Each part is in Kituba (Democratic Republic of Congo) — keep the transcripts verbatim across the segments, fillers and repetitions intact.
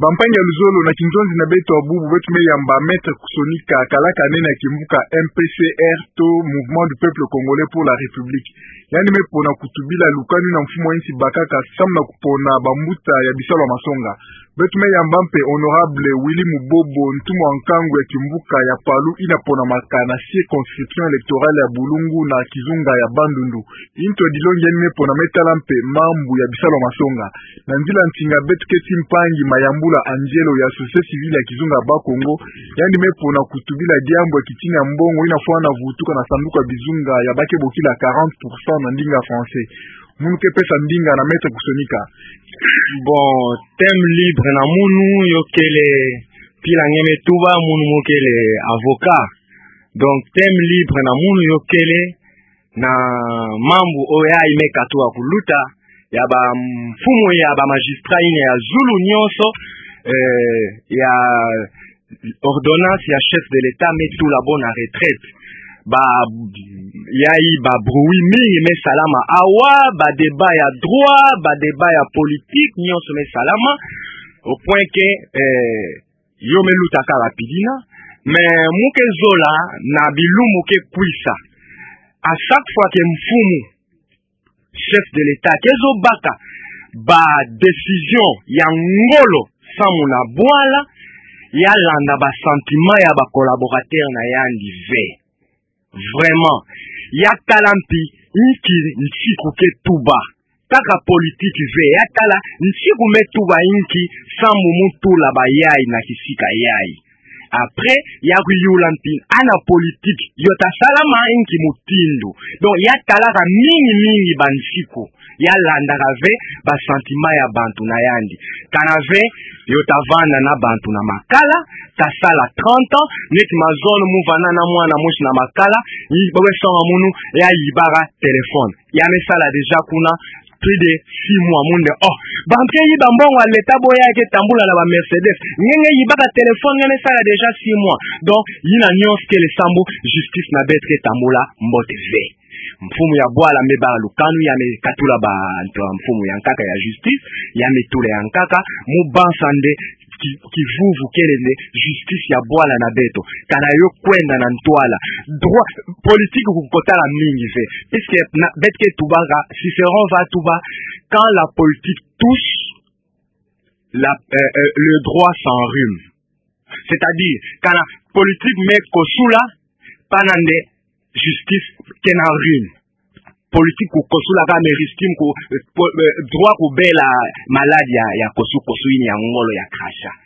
Bampangi ya luzolo, na kinzonzi na beto ya bubu, beto me yamba Maître Kusonika, kalaka nene ya kimvuka M P C R to Mouvement du Peuple Congolais pour la République. Yandi me pona kutubila lukanu ina mfumu ya nsi bakaka samu na kupona bambuta ya bisalu ya masonga. Beto me yamba mpe Honorable Willy Mubobo, ntumwa nkangu ya kimvuka ya Palu ina ponamaka na circonscription électorale ya Bulungu na kizunga ya Bandundu. Into dilongi yandi me pona me tala mpe mambu ya bisalu ya masonga. Na nzila ntinga beto keti mpangi Mayambula Angelo ya société civile ya kizunga ya Bas-Congo, yandi me pona kutubila diambu ya kitingi ya mbongo ina fwana vutuka na sanduku ya bizunga ya ba ke bokila quarante pour cent na ndinga français. Munu ke pesa ndinga na Maître Kusonika. Bon, thème libre na munu yo kele, mpila nge me tuba, munu mo kele avocat. Donc, thème libre na munu yo kele, na mambu oyo yai me katuka kuluta, ya bamfumu ya bamagistrat ina ya zulu nyonso, eh, ya ordonnance ya chef de l'État me tula bo na retraite. Ba, yai ba bruit mingi me salama awa, ba débat ya droit, ba débat ya politique, nyonso me salama, au point que, eh, yo me luta kaka rapidement, mais mo ke zola na bilumbu ke kwisa. À chaque fois que mfumu, chef de l'État, ke zo baka ba décision ya ngolo samu na bwala, ya landa ba sentiment ya ba collaborateur na yandi ve. Vraiment, ya tala mpi inki nsiku ke tuba. Kaka politique ve, ya tala nsiku me tuba inki samu mo tula ba yai na kisika yai. Après, ya kuyula mpi ana politique yo ta salama inki mutindu. Donc, ya talaka mingi mingi bansiku. Ya landaka ve ba sentiment ya bantu na yandi. Kana ve, yo ta vanda na bantu na makala, ta sala trente ans, neti mazono mo vanda na mwana mosi na makala, yi, bo me songa munu, ya yibaka téléphone. Ya me sala déjà kuna plus de six mois, munu nde, oh, bantu ke yiba mbongo ya l'État bo ya ke tambula na ba Mercedes. Nge nge yibaka téléphone, nge me sala déjà six mois. Donc, yina nyonso kele sambu justice na beto ke tambula mbote ve. Mfumu ya bwala me baka lukanu, ya me katula bantu ya mfumu ya nkaka ya justice, ya me tula ya nkaka, mo bansa nde ki-, kivuvu kele nde justice ya bwala na beto. Kana yo kwenda na ntwala. Droit, politique kukotala mingi ve. Puisque na, beto ke tubaka, Cicéron va tuba, quand la politique touche, la, euh, euh, le droit s'enrhume. C'est-à-dire, kana politique me kosula, pana nde justice ke na rhume. Politique kukosula ka me risque ku, eh, po-, eh, droit kubela maladi ya, ya kosu-kosu yina ya ngolo ya crachat.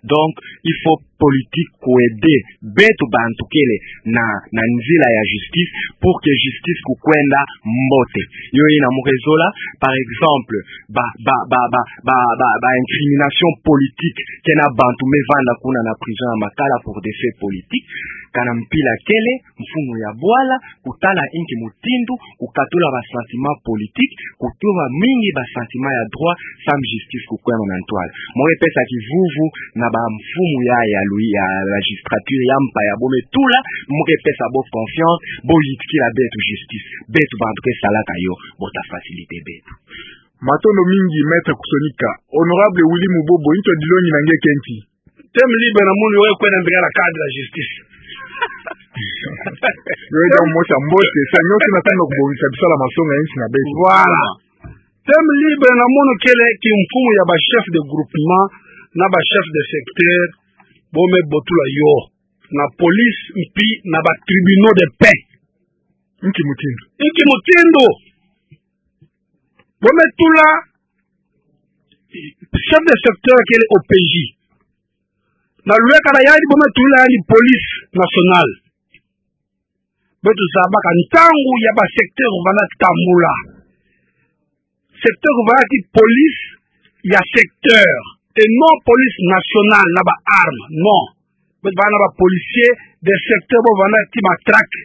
Donc, il faut politique ku aider beto bantu kele na, na nzila ya justice pour que justice kukwenda mbote. Yo yina mo ke zola, par exemple, ba, ba, ba incrimination politique, ke na bantu me vanda kuna na prison ya makala pour des faits politiques, kana mpila kele, mfumu ya bwala, kutala inki mutindu, kukatula ba sentiment politique, kutuba mingi ba sentiment ya droit, samu justice kukwenda na ntwala. Mo ke pesa kivuvu na ba mfumu ya, ya lui, ya magistrature, ya mpa ya bo me tula, mo ke pesa bo confiance, bo yitikila beto justice, beto bantu ke salaka yo, bo ta faciliter beto. Matondo mingi, Maître Kusonika. Honorable Willy Mubobo, into dilongi na nge kenti. Thème libre na munu yo ke kwenda mbika na cadre ya justice. Yo ya mosi ya mbote, sa nyonso na tuna kubongisa bisalu ya masonga ya nsi na beto. Voilà. Thème libre na munu kele kimfumu ya ba chef de groupement, na ba chef de secteur, bo me botula yo na police, mpi na ba tribunaux de paix. Inki mutindu. Inki mutindu. Bo me tula chef de secteur kele O P J. Na lweka na yandi bo me tula yandi police nationale. Beto zabaka ntangu ya ba secteur vana tambula. Secteur vana ti police ya secteur. Et non police nationale na ba armes. Non. Beto vana ba policiers de secteur bo vana ti matraque.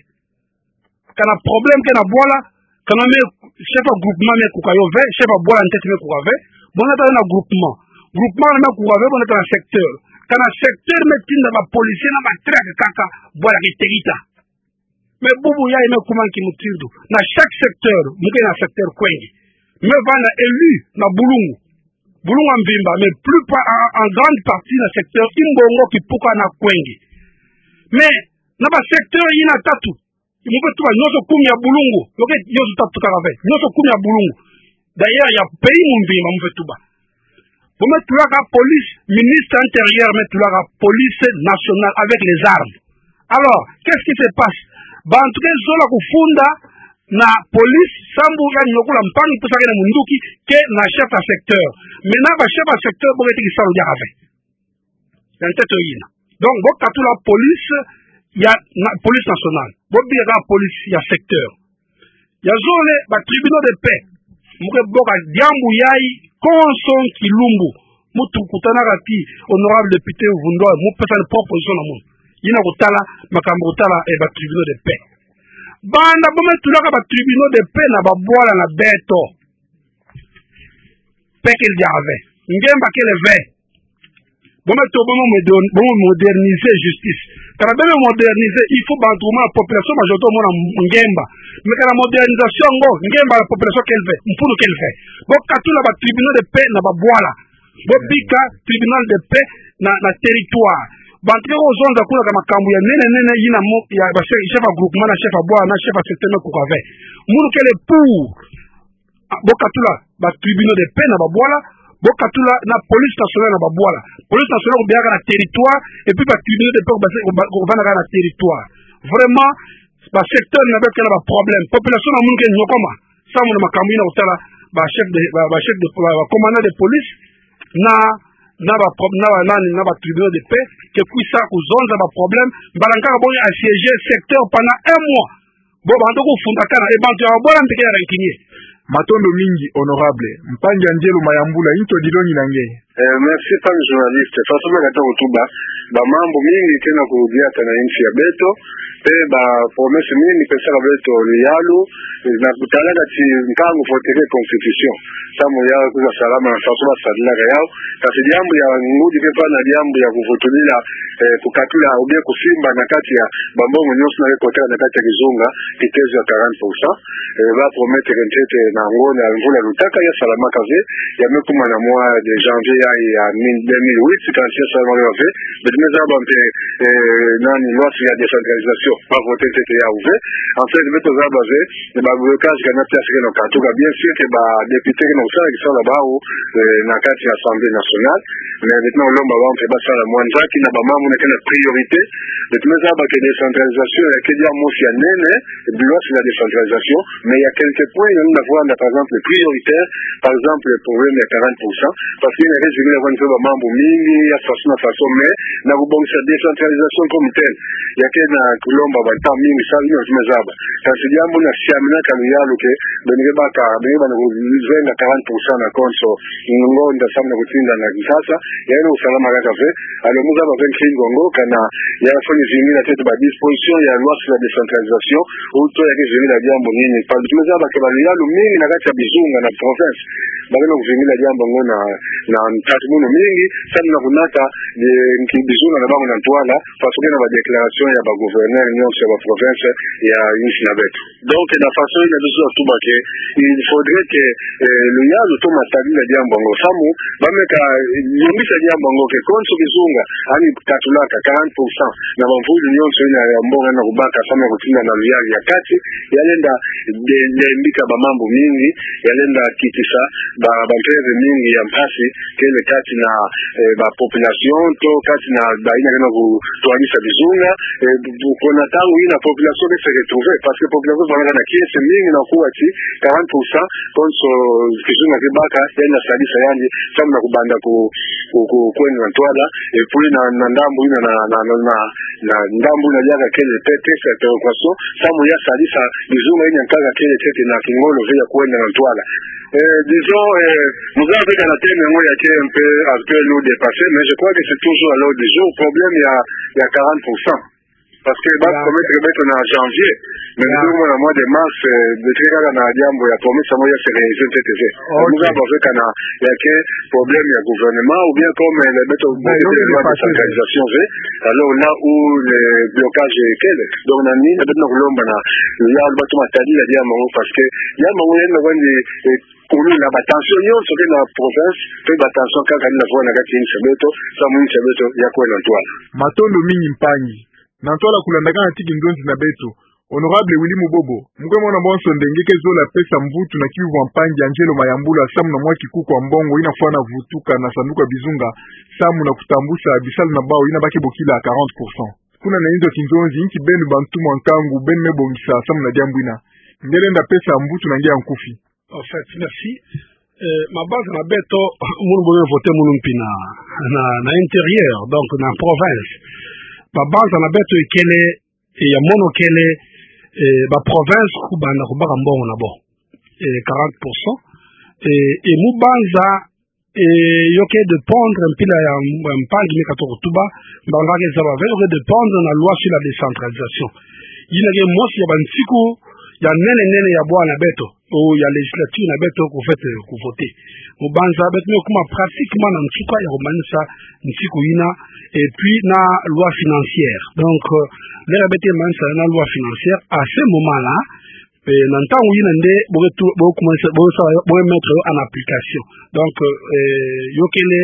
Kana problème ke na bwala, kana me chef ya groupement me kuka yo ve, chef ya bwala ntete me kuka ve, bo na tala na groupement. Groupement me kuka ve, bo na tala na secteur. Kana secteur me tinda ba policier na matraque kaka, bwala ke tekita. Mais bubu yayi me kuma nki mutindu. Na chaque secteur, mo ke na secteur kwenge. Me vanda élu na bulungu. Bulungu ya mvimba, mais plus pa-, en, en grande partie na secteur Imbongo, Kipuka na Kwenge. Mais na ba secteur yina tatu, mu fweti tuba nyonso kumi ya bulungu, yo ke nyonso tatu kaka ve, nyonso kumi ya bulungu. D'ailleurs, ya pays mvimba mu fweti tuba. Bo me tulaka police, ministre intérieur me tulaka police nationale avec les armes. Alors, qu'est-ce qui se passe? Bantu ke zola kufunda na police, sambu ya niokola mpangi pusa ke na munduki, ke na chef ya secteur. Maintenant, ba chef ya secteur, bo ke tiki salu diaka ve. Ya nteto yina. Donc, bo katula police ya, na, police nationale. Bo bika police ya secteur. Ya zole, ba tribunaux de paix. Mu ke boka diambu yayi, konso kilumbu. Mu tukutanaka ti honorable député Vundwa, mu pesa ni proposition na munu. Yina kutala, makambu kutala, eh, ba tribunaux de paix. Banda bo me tulaka ba tribunaux de paix na babwala na beto. Paix kele diaka ve. Ngemba kele ve. Bo me to-, bo me modern-, bo me moderniser justice. Kana be me moderniser, il faut bantu, ma population, majorité, mona ngemba. Mais kana modernisation ngo, ngemba la population kele ve, mpulu kele ve. Bo katula ba tribunaux de paix na babwala. Bo bika tribunal de paix na, na territoire. Bantu ke kozonza kuna ka makambu ya nene nene yina mo, ya ba chef, chef ya groupement na chef ya bwala na chef ya secteur me kuka ve. Munu kele pour. Ah, bo katula ba tribunaux de paix na babwala, bo katula na police nationale na babwala. Police nationale kubiaka na territoire, et puis ba tribunaux de paix kubase-, kuba-, kuvanda kaka na territoire. Vraiment, ba secteur na beto ke na ba problème. Population na munu ke nyokoma. Samu na makambu yina kutala ba chef de, ba, ba chef de, ba, ba commandant de police na, na ba pro-, na ba nani, na ba tribunaux de paix, ke kwisa kuzonza ba problème, mbala nkaka bo assiéger secteur pendant un mois. Bo bantu kufundakana, e bantu ya babwala mpe ke ya rankinye. Matondo mingi, honorable. Mpangi Angelo Mayambula, into dilongi na nge. Eh, merci, mpangi journaliste. Façon me kata kutuba, ba mambu mingi ke na kudiata na insi ya beto, pe ba promesse mingi pesaka beto luyalu, eh, na kutalaka ti nkangu voteke constitution. Samu ya kwiza salama na façon basadilaka yau. Kasi diambu ya ngudi ke vwanda diambu ya kuvutulila, eh, kukatula, ou bien kusimba na kati ya bambongo nyonso na ke kotaka na kati ya kizunga, kitezo ya quarante pour cent. Eh, ba promettre ntete na ngonda ya mvula lutaka, ya salamaka ve, ya me kuma na mois de janvier ya, ya mille, deux mille huit, kasi ya salamaka ve, beto me zaba mpe, eh, nani, loi sur la décentralisation, ba voter ntete yau ve. En fait, beto zaba ve, ba blocage kana pièce ke na katuka, bien sûr que ba député ke na kusala kisalu ya bau, eh, na kati ya Assemblée nationale, mais beto na kulomba bau mpe basala mwa nzaki na ba mambu na ke na priorité. Beto me zaba que décentralisation ya ke dia mosi ya nene, loi sur la décentralisation, mais il y a quelques points, il y en a, par exemple, prioritaire, par exemple, le problème ya quarante pour cent, parce que na ke zingila kwa nzeba mambu mingi, ya façon na façon, mais na kubongisa décentralisation comme telle, ya ke na kulomba ba nta mingi, sa ino tume zaba. Kasi diambu na siaminaka luyalu ke, beno ke baka, beno ke banda kuzenga quarante pour cent na konso, ngonda samu na kutinda na Kinshasa, ya ino kusalama kaka ve, alors mu zaba ve nkingu ango, kana ya fwani zingila ntete ba disposition ya loi sur la décentralisation, ou to ya ke zingila diambu nini, parce que tume zaba que ba luyalu mingi na kati ya bizunga na province, ba ke na kuzingila diambu ango na, na ntatumunu mingi, samu na kunata, eh, nki bizunga na bango na ntwala, façon ke na ba déclaration ya ba gouverneur nyonso ya ba province ya insi na beto. Donc, na façon yina biso tuba que il faudrait que, eh, luyalu to masadila diambu ango. Samu, ba meka, eh, yombisa diambu ango que konso kizunga, ani katulaka quarante pour cent na bamvulu nyonso yina ya mbongo na kubaka samu na kutinda na luyalu ya kati, ya lenda de, de mbika ba mambu mingi, ya lenda kitisa ba, ba mpeve mingi ya mpasi, kele kati na, eh, ba population, to kati na ba yina ke na kutwadisa bizunga, eh, bu-, bu-, kuna ntangu yina population ke se retrouver, parce que population vwandaka na kiese mingi na kuwa ti quarante pour cent, konso kizunga ke baka, yandi na sadisa yandi, samu na kubanda ku, ku, ku, kwenda na ntwala, et puis na, na ndambu yina na, na, na, na, na ndambu yina diaka kele te, texte ya péréquation, samu ya sadisa bizunga yina nkaka kele ntete na kingolo ve ya kwenda na ntwala. Eh, disons, eh, mu zaba ve kana thème yango ya ke un peu, un peu lourd, dépassé, mais je crois que c'est toujours à l'ordre du jour, problème ya, ya quarante pour cent. Parce que ba promettre beto na janvier, mais ndio mwana mois de mars, eh, beto ke kaka na diambu ya promesse yango ya se réaliser ntete te. Muza ba fekana ya ke problème ya gouvernement ou bien comme, eh, beto beto loi décentralisation ve, alors là où le blocage est quel? Donc na nini beto na kulomba na ya bato matadi ya diambu yango, parce que diambu yango yenda kwandi, eh, kuluna ba tension nyonso ke na province, pe ba tension kaka ni na fwa na kati ya insi ya beto, samu insi ya beto ya kwenda ntwala. Matondo mingi mpangi. Na ntwala kulandakana ti kinzonzi na beto, Honorable Willy Mubobo, mu ke mona bonso nde nge ke zola pesa mvutu na kiuvu ya mpangi Angelo Mayambula samu na mwa kikuku ya mbongo ina fwana vutuka na sanduku ya bizunga samu na kutambusa bisalu na bau ina ba ke bokila quarante pour cent. Kuna na inzo kinzonzi, inki beno bantu mwa nkangu beno me bongisa samu na diambu ina? Nge lenda pesa mvutu na nge ya nkufi. En fait, merci. Eh, mabanza na beto, munu bo me voter munu mpi na, na, na intérieur, donc na province. Mabanza na beto ikele, eh, ya mono kele, eh, ba province kubanda kubaka mbongo na bo. Eh, quarante pour cent. Eh, eh, mu banza, eh, yo ke dépendre mpila ya, ya mpangi me katuka kutuba, mbanga ke zaba ve, yo ke dépendre na loi sur la décentralisation. Yina ke mosi ya bansiku ya nene nene ya bwana beto, ou ya législature na beto kufwete kuvoter. Mu banza beto me kuma pratiquement na nsuka ya kumanisa nsiku ina, et puis na loi financière. Donc, euh, l'heure beto ke manisa na loi financière, à ce moment-là, eh, na ntangu ina nde bo ke tu-, bo ke kumanisa, bo ke sala yo, bo ke mettre yo en application. Donc, euh, yo kele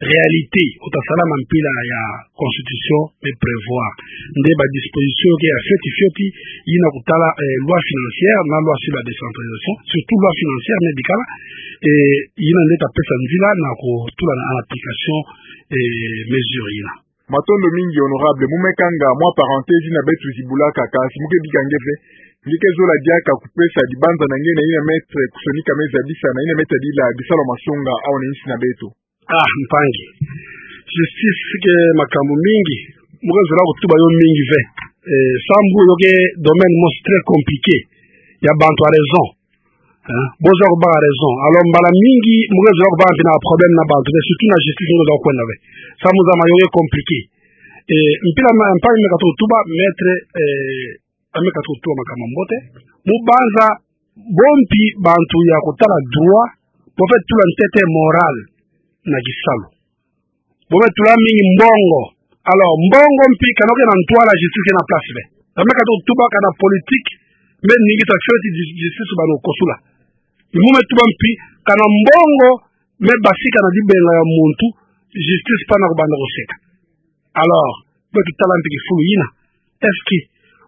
réalité, ota sala na mpila ya constitution me prévoir. Nde ba disposition ke ya fioti fioti, ina kutala, eh, loi financière, na loi sur la décentralisation, surtout loi financière, me bikala, eh, ina nde ta pesa nzila na kutula na, en application, eh, mesure ina. Matondo mingi, honorable. Mu me kanga mwa parenthèse ina beto zibulaka, kasi mu ke bika nge ve. Nge ke zola diaka kupesa dibanza na nge na ina maître kusonika me zabisa, na ina me tadila bisalu ya masonga awa na insi na beto. Ah, mpangi. Justice ke makambu mingi. Mu ke zola kutuba yo mingi ve. Eh, sambu yo ke domaine mosi très compliqué. Ya bantu ya raison. Hein? Bo zola kubaka raison. Alors, mbala mingi, mu ke zola kubaka mpi na problème na bantu, mais surtout na justice, mu ke zola kwenda ve. Samu zame yo ke compliqué. Eh, mpila ma, mpangi me katuka kutuba, maître, eh, ame katuka kutuba makambu ya mbote. Mu banza, bo mpi bantu ya kutala droit, bo fwete tula ntete morale na kisalu. Bo me tula mingi mbongo. Alors, mbongo mpi kana yo ke na ntwala, justice ke na place ve. Ame katuka kutuba kana politique, me ningisa fioti ju-, justice banda kukosula. Mu me tuba mpi kana mbongo me basika na dibenga ya muntu, justice pana kubanda kuseka. Alors, beto tala mpi kifulu ina. Est-ce que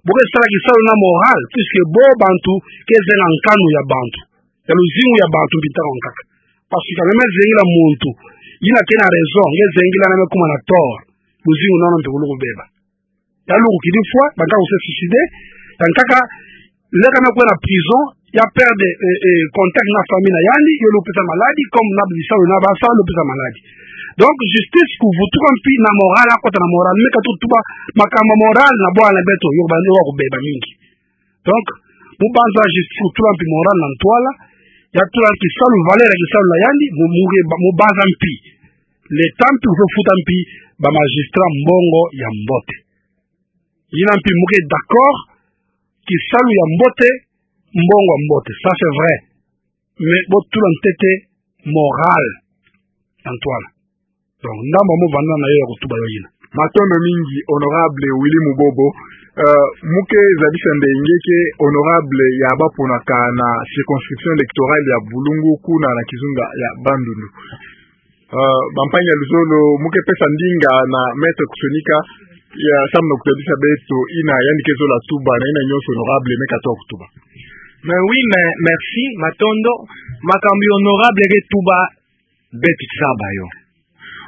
bo ke sala kisalu na morale, puisque bo bantu ke zenga nkanu ya bantu, ya luzingu ya bantu mpi ntangu nkaka? Parce que ka nge me zengila muntu ina ke na raison, nge zengila na me kuma na tort, luzingu na nona mpi kuluku beba. Ya luku kidi fwa, banda ku se suicider, ya nkaka, leka na kwenda prison, ya perdre, eh, eh, contact na famille na yandi, yo lupesa maladie, comme na bisalu na basa lupesa maladie. Donc, justice kuvutuka mpi na morale, akota na morale, me katuka kutuba makambu ya morale na bwana beto, yo ba, yo kubeba mingi. Donc, mu banza justice kutula mpi morale na ntwala, ya tula kisalu, valeur ya kisalu na yandi, mu, mu, mu banza mpi l'État mpi kufwete futa mpi ba magistrat mbongo ya mbote. Ina mpi mu ke d'accord, kisalu ya mbote, mbongo ya mbote. Ça, c'est vrai. Mais bo tula ntete morale na ntwala. Donc, ndambu mu vanda na yo ya kutuba yo ina. Matondo mingi, honorable Willy Mubobo. Euh, mu ke zabisa nde nge ke honorable ya baponaka na circonscription électorale ya Bulungu kuna na kizunga ya Bandundu. Euh, bampangi ya luzolo, mu ke pesa ndinga na maître kusonika, ya samu na kutabisa beto ina yandi ke zola tuba, na ina nyonso honorable me katuka kutuba. Mais oui, mais merci, matondo, makambu ya honorable ke tuba, beto tuzaba yo.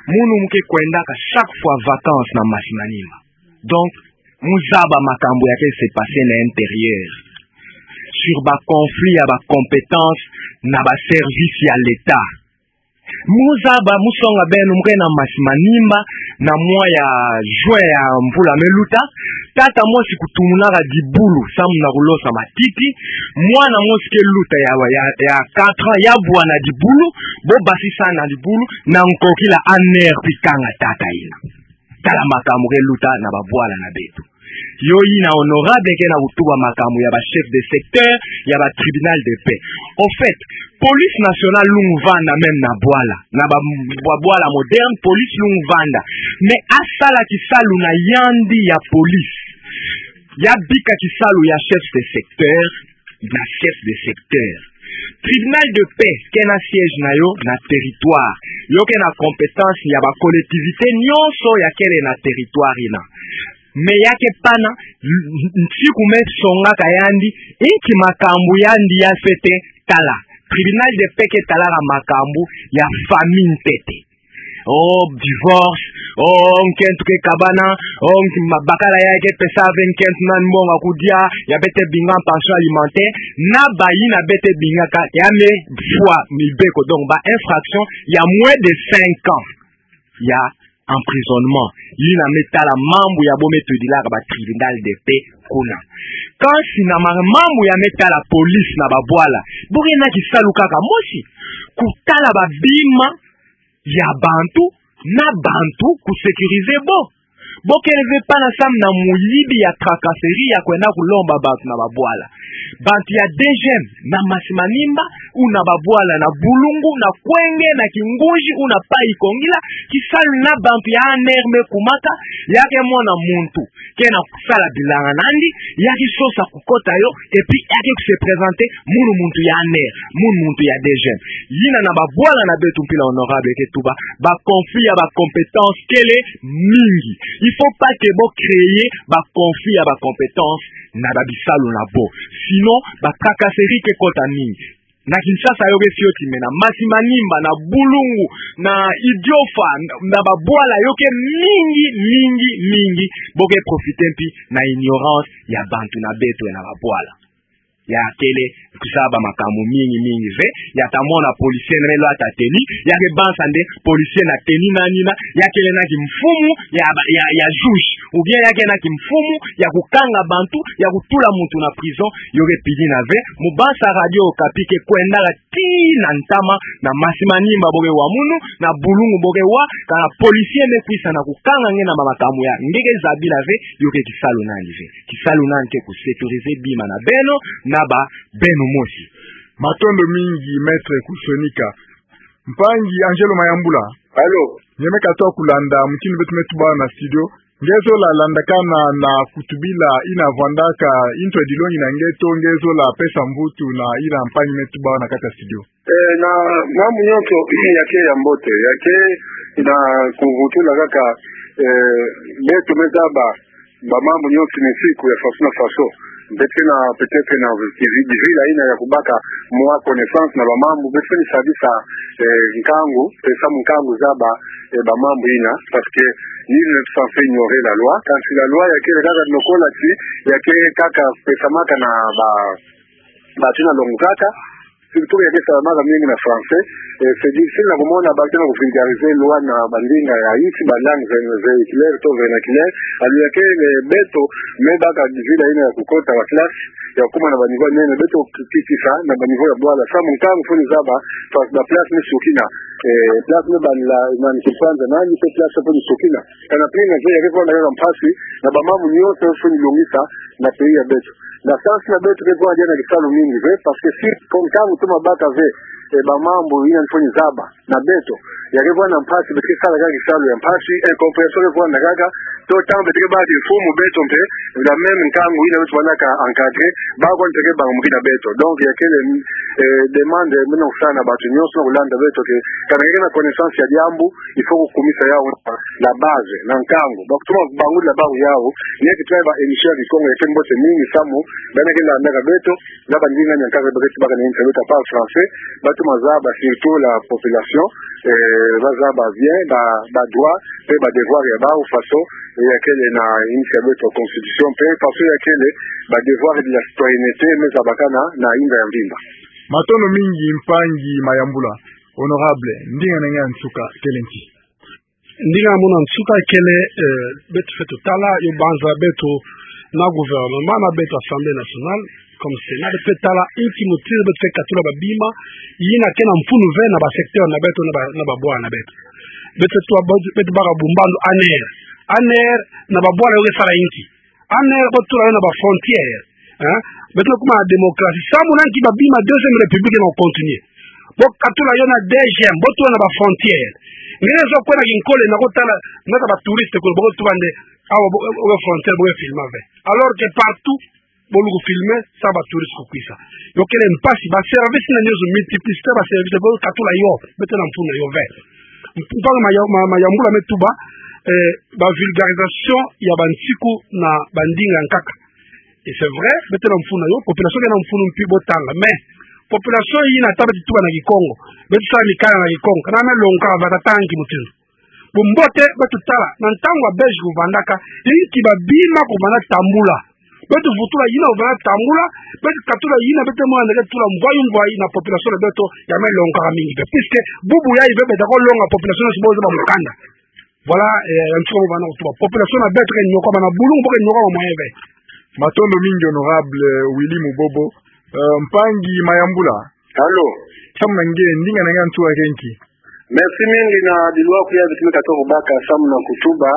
Munu mu ke kwendaka chaque fois vacances na Masimanimba. Donc, mu zaba makambu ya ke se passer na intérieur. Sur ba conflits ya ba compétences na ba services ya l'État. Mu zaba, mu songa beno, mu ke na Masimanimba, na mois ya juin ya mvula me luta, tata mosi kutumunaka dibulu, samu na kulosa matiti, mwana mosi ke luta ya, ya, ya quatre ans, ya bwa na dibulu, bo basisa na dibulu, na nkokila aner pi kanga tata ina. Tala makambu ke luta na babwala na beto. Yo yina honorable ke na kutuba makambu ya ba chef de secteur, ya ba tribunal de paix. Au fait, police nationale lungu vanda même na bwala, na ba, ba bwala moderne, police lungu vanda. Mais asala kisalu na yandi ya police. Ya bika kisalu ya chef de secteur, na chef de secteur. Tribunal de paix ke na siège na yo na territoire. Yo ke na compétence ya ba collectivité nyonso ya kele na territoire yina. Mais ya ke pana, nsiku me songaka yandi, inki makambu yandi ya fwete tala. Tribunal de paix ke talaka makambu ya famille ntete. Oh, divorce, oh, nkento ke kabana, oh, nk-, ma-, bakala ya ke pesa ve nkento nani mbongo ya kudia, ya beto binga pension alimentaire, na bayina beto bingaka, ya me fwa mibeko, donc ba infraction ya moins de cinq ans ya emprisonnement. Yina me tala mambu ya bo me tudilaka ba tribunal de paix kuna. Kansi na ma-, mambu ya me tala police na ba bwala, bo ke na kisalu kaka mosi, kutala ba bima ya bantu, na bantu ku sécuriser bo. Bo kele ve pana samu na muyibi ya tracasserie ya kwenda kulomba bantu na ba bwala. Bantu ya DGM, na Masi Manimba, ou na ba bwala, na Bulungu, na Kwenge, na Kingunzi, ou na Pai Kongila, kisalu na bantu ya ANR me kumaka, ya ke mona muntu ke na sala bilanga na yandi, ya ke sosa kukota yo, et puis ya ke ku se présenter, munu muntu ya ANR, munu muntu ya DGM. Yina na ba bwala na beto mpila honorable ke tuba, ba conflit ya ba compétence kele mingi. Il faut pas que bo créer ba conflit ya ba compétence na ba bisalu na bo. Sinon, ba tracasserie ke kota mingi. Na Kinshasa yo ke fioti, mais na Masi Manimba, na Bulungu, na Idiofa, na, na ba bwala yo ke mingi, mingi, mingi. Bo ke profiter mpi na ignorance ya bantu na beto na ba bwala. Ya kele kuzaba makambu mingi, mingi ve, ya ta mona policier na me lwata tenue, ya ke banza nde policier na tenue nani na, ya kele na kimfumu ya ba, ya, ya juge, ou bien ya ke na kimfumu ya kukanga bantu, ya kutula muntu na prison, yo ke pidina ve, mu banza Radio Okapi ke kwendaka tii na ntama, na Masi Manimba bo ke wa munu, na Bulungu bo ke wa, kana policier me kwisa na kukanga nge na ma-, makambu ya nge ke zabila ve, yo ke kisalu nani ve. Kisalu nani ke ku sécuriser bima na beno, na ba beno mosi. Matondo mingi, Maître Kusonika. Mpangi Angelo Mayambula. Allô? Nge me katuka kulanda mutindu beto me tuba na studio. Nge zola landakana na kutubila yina vwandaka, yintu edilongi na nge to nge zola pesa mvutu na yina mpangi me tuba na kati ya studio. Eh, na mambu nyonso ya ke ya mbote, ya ke na kuvutula kaka, eh, beto me zaba ba mambu nyonso na nsiku ya faso na faso. Beto ke na peut-être na kivi-, bivila yina ya kubaka mwa connaissance na ba mambu, beto ke ni sadisa, eh, nkangu, pesa mu nkangu zaba, eh, ba mambu yina, parce que nul n'est censé ignorer la loi. Kansi la loi ya kele kaka lokola ti, ya ke kaka pesamaka na ba, ba tina longo kaka, surtout ya ke salamaka mingi na français, eh, c'est difficile na kumona ba tina ku vulgariser loi na ba ndinga ya insi, ba langues ve-, véhiculaires to vernaculaires, alors ya ke, eh, beto me baka bivila yina ya kukota ba classe, ya kuma na ba niveau nene, beto ki-, ki-, kisa na ba niveau ya bwala, samu nkangu fo ni zaba, fa-, ba place me sukina, eh, place me bandila, na ni kipanza, na ni pe place fo ni sukina. Kana pili na ve ya ke vwanda kaka mpasi, na ba mambu nyonso fo ni longisa, na pays ya beto. Na sens na beto ke vwanda na kisalu mingi ve, parce que si ko nkangu toma baka ve, eh, ba mambu yina fo ni zaba na beto, ya ke vwanda mpasi, beto ke sala kaka kisalu ya mpasi, incompréhension ke vwanda kaka, to ntangu beto ke baka kimfumu beto mpe, la même nkangu yina beto vwandaka encadrer, ba ko nte ke banga mukina beto. Donc, ya kele, eh, demande, meno sana bantu nyonso na kulanda beto ke, kana nge ke na connaissance ya diambu, il faut kukumisa yawu na la base, na nkangu. Ba kutuma bangula bawu yawu, nge ke tala ba émission ya Kikongo ya ke mbote mingi samu, bana ke landaka beto, na ba ndinga nya nkaka ba ke tubaka na insi ya beto par français, ba tuma zaba surtout la population, eh, ba zaba bien, ba, ba droit, pe ba devoir ya bawu faso, eh, ya kele na insi ya beto constitution, pe faso ya kele ba devoir de la citoyenneté, me zabakana na inda ya mvimba. Matondo mingi mpangi Mayambula. Honorable, ndinga na nge ya nsuka, kele nki? Ndinga mono ya nsuka kele, eh, beto fwete tala, yo banza beto na gouvernement, na beto Assemblée nationale, comme Sénat, beto fwete tala inki mutindu beto fwete katula ba bima yina ke na mfunu ve na ba secteur na beto, na ba, na ba bwala na beto. Beto fwete tala, beto baka bumbandu ANR. ANR, na ba bwala yo ke sala inki? Ane bo tula yo na ba frontière. Hein? Beto na kuma na démocratie. Samu na nki ba bima deuxième république na continuer. Bo katula yo na deuxième, bo tula na ba frontière. Nge zo kwenda kinkole na kotala, na ta ba touriste ko, bo tula nde, awa bo, bo frontière, bo filma ve. Alors que partout, bo luku filmer, sa ba touriste kukwisa. Yo kele mpasi, ba service na nyonso, multiplicité ba service, bo katula yo, beto na mfunu na yo ve. Mpangi Maya-, Ma-, Mayambula me tuba, eh, ba vulgarisation ya ba nsiku na ba ndinga nkaka. Et c'est vrai, beto na mfunu na yo, population ke na mfunu mpi bo tanga. Mais, population yina ta beto tuba na Kikongo, beto sala mikanda na Kikongo, kana me longoka va ta tanga ki mutindu. Bumbote, beto tala, na ntangu ya Belge kuvandaka, inki ba bima kuvanda tambula. Beto vutula yina kuvanda tambula, beto katula yina, beto mona nde ke tula mvwayi mvwayi na population na beto, ya me longoka mingi ve. Puisque, bubu yayi ve beto ko longa population, si bo zaba mukanda. Voilà, eh, ya nsuka mo bana kutuba. Population na beto ke nyokama na bulungu, bo ke nyokama moyen ve. Matondo mingi, honorable Willy Mubobo. Eh, mpangi Mayambula. Allô? Samu na nge, ndinga na nge ya nsuka ke nki? Merci mingi na bilwaku ya beto me katuka kubaka samu na kutuba,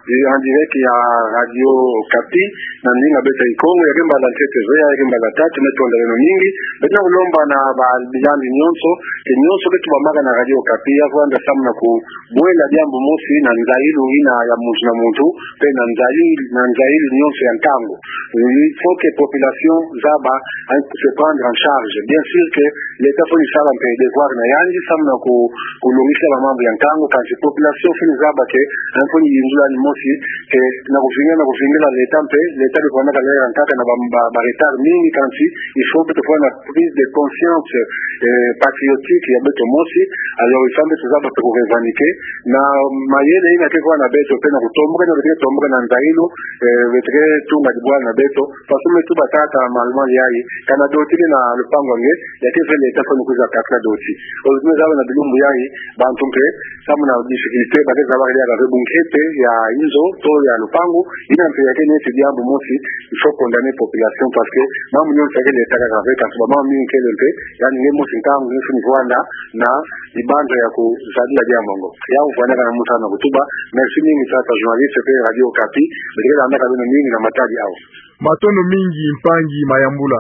eh, en direct ya Radio Okapi, na ndinga beto ya Kikongo, ya ke mbala ntete ve, ya ke mbala tatu, me tonda beno mingi. Beto na kulomba na ba bilandi nyonso, ke nyonso ke tubamaka na Radio Okapi, ya kwenda samu na kubwela diambu mosi na nzayilu yina ya muntu na muntu, mpe na nzayi-, na nzayilu nyonso ya nkangu. Il faut que population zaba, hein, se prendre en charge. Bien sûr que l'État fweni sala mpe devoir na yandi, samu na ku-, kulongisa ba mambu ya nkangu, kansi population fweni zaba ke, hein, fweni yindula ni mosi, ke na kuvingila, na kuvingila l'État mpe, l'État de kwenda kalera nkaka na ba, ba, ba retard mingi, kansi il faut que tufwana prise de conscience, eh, patriotique ya beto mosi. Alors, il faut mpe tuzaba mpe ku revendiquer na mayele yina ke kwa na beto mpe na kutomboka, na beto ke tomboka na nzayilu, eh, beto ke tunga dibwala na beto. Façon me tuba tata Malumalu yayi, kana doti ke na lupangu nge, ya ke ve l'État fweni kwiza katula doti. Ozime zaba na bilumbu yayi, bantu mpe, samu na difficulté, ba ke zaba ke ya ka ve bunkete ya inzo, to ya lupangu, yina mpe ya ke neti diambu mosi, il faut condamner population parce que mambu nyonso ya ke l'État kaka ve, kansi ba mambu mingi kele mpe, yandi nge mosi nkangu nge fweni vwanda na libanza ya kuzadila diambu ngo. Ya kuvwanda kana musa na kutuba. Merci mingi tata journaliste mpe Radio Okapi, beto ke landaka beno mingi na matadi awa. Matondo mingi mpangi Mayambula.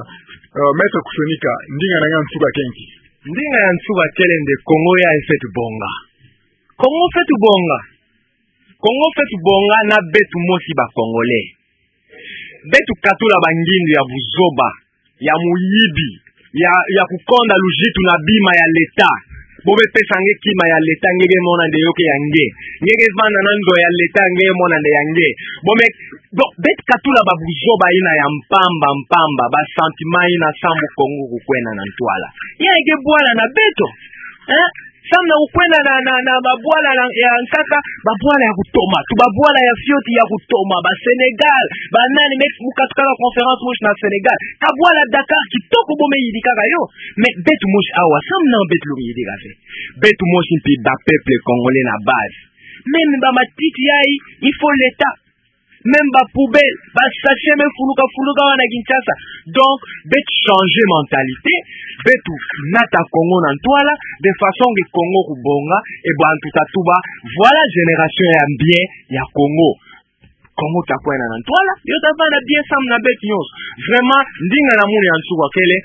Euh, Maître Kusonika, ndinga na nge ya nsuka ke nki? Ndinga ya nsuka kele nde Kongo yayi fweti bonga. Kongo fweti bonga. Kongo fweti bonga na beto mosi ba Congolais. Beto katula ba ngindu ya buzoba, ya muyibi, ya, ya kukonda luzitu na bima ya l'État. Bo me pesa nge kima ya l'État, nge ke mona nde yo ke ya nge. Nge ke vanda na ndo ya l'État, nge ke mona nde ya nge. Bo me, donc, beto katula ba buzoba yina ya mpamba mpamba, ba sentiment yina samu Kongo kukwenda na ntwala. Ya ke bwala na beto. Hein? Samu na kukwenda na, na, na babwala na, ya nkaka, babwala ya kutoma, tu babwala ya fioti ya kutoma, ba Sénégal, ba nani, me mu katukaka conférence mosi na Sénégal. Kabwala Dakar kitoko bo me yidikaka yo. Mais beto mosi awa, samu na beto lumiyidika ve. Beto mosi mpi ba peuple congolais na base. Même ba matiti yayi, il faut l'État. Même ba poubelle, ba sachet me fuluka fuluka awa na Kinshasa. Donc, beto changer mentalité, beto nata Kongo na ntwala, de façon que Kongo kubonga, et bantu ta tuba, voilà génération ya bien ya Kongo. Kongo ta kwenda na ntwala, yo ta vanda bien samu na beto nyonso. Vraiment, ndinga na munu ya nsuka kele,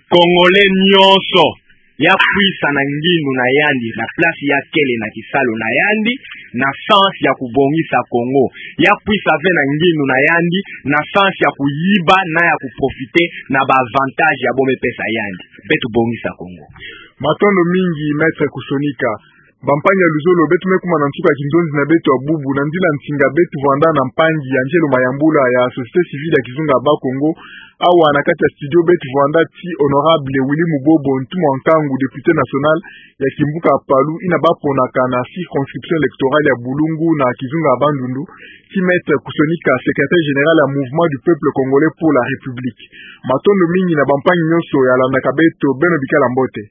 Congolais nyonso, ya kwisa na ngindu na yandi, na place ya kele na kisalu na yandi, na sens ya kubongisa Kongo. Ya kwisa ve na ngindu na yandi, na sens ya kuyiba na ya kuprofiter na ba avantages ya bo me pesa yandi. Beto bongisa Kongo. Matondo mingi, Maître Kusonika. Bampangi ya luzolo, beto me kuma na nsuka ya kinzonzi na beto ya bubu, na nzila nsinga beto vwanda na mpangi Angelo Mayambula ya société civile ya kizunga ya Bas-Congo. Awa na kati ya studio beto vwanda ti honorable Willy Mubobo, ntumwa nkangu, député national ya kimbuka ya Palu, yina ba ponaka na circonscription électorale ya Bulungu na kizunga ya Bandundu, ti Maître Kusonika, secrétaire général ya Mouvement du Peuple Congolais pour la République. Matondo mingi na bampangi nyonso ya landaka beto, beno bikala mbote.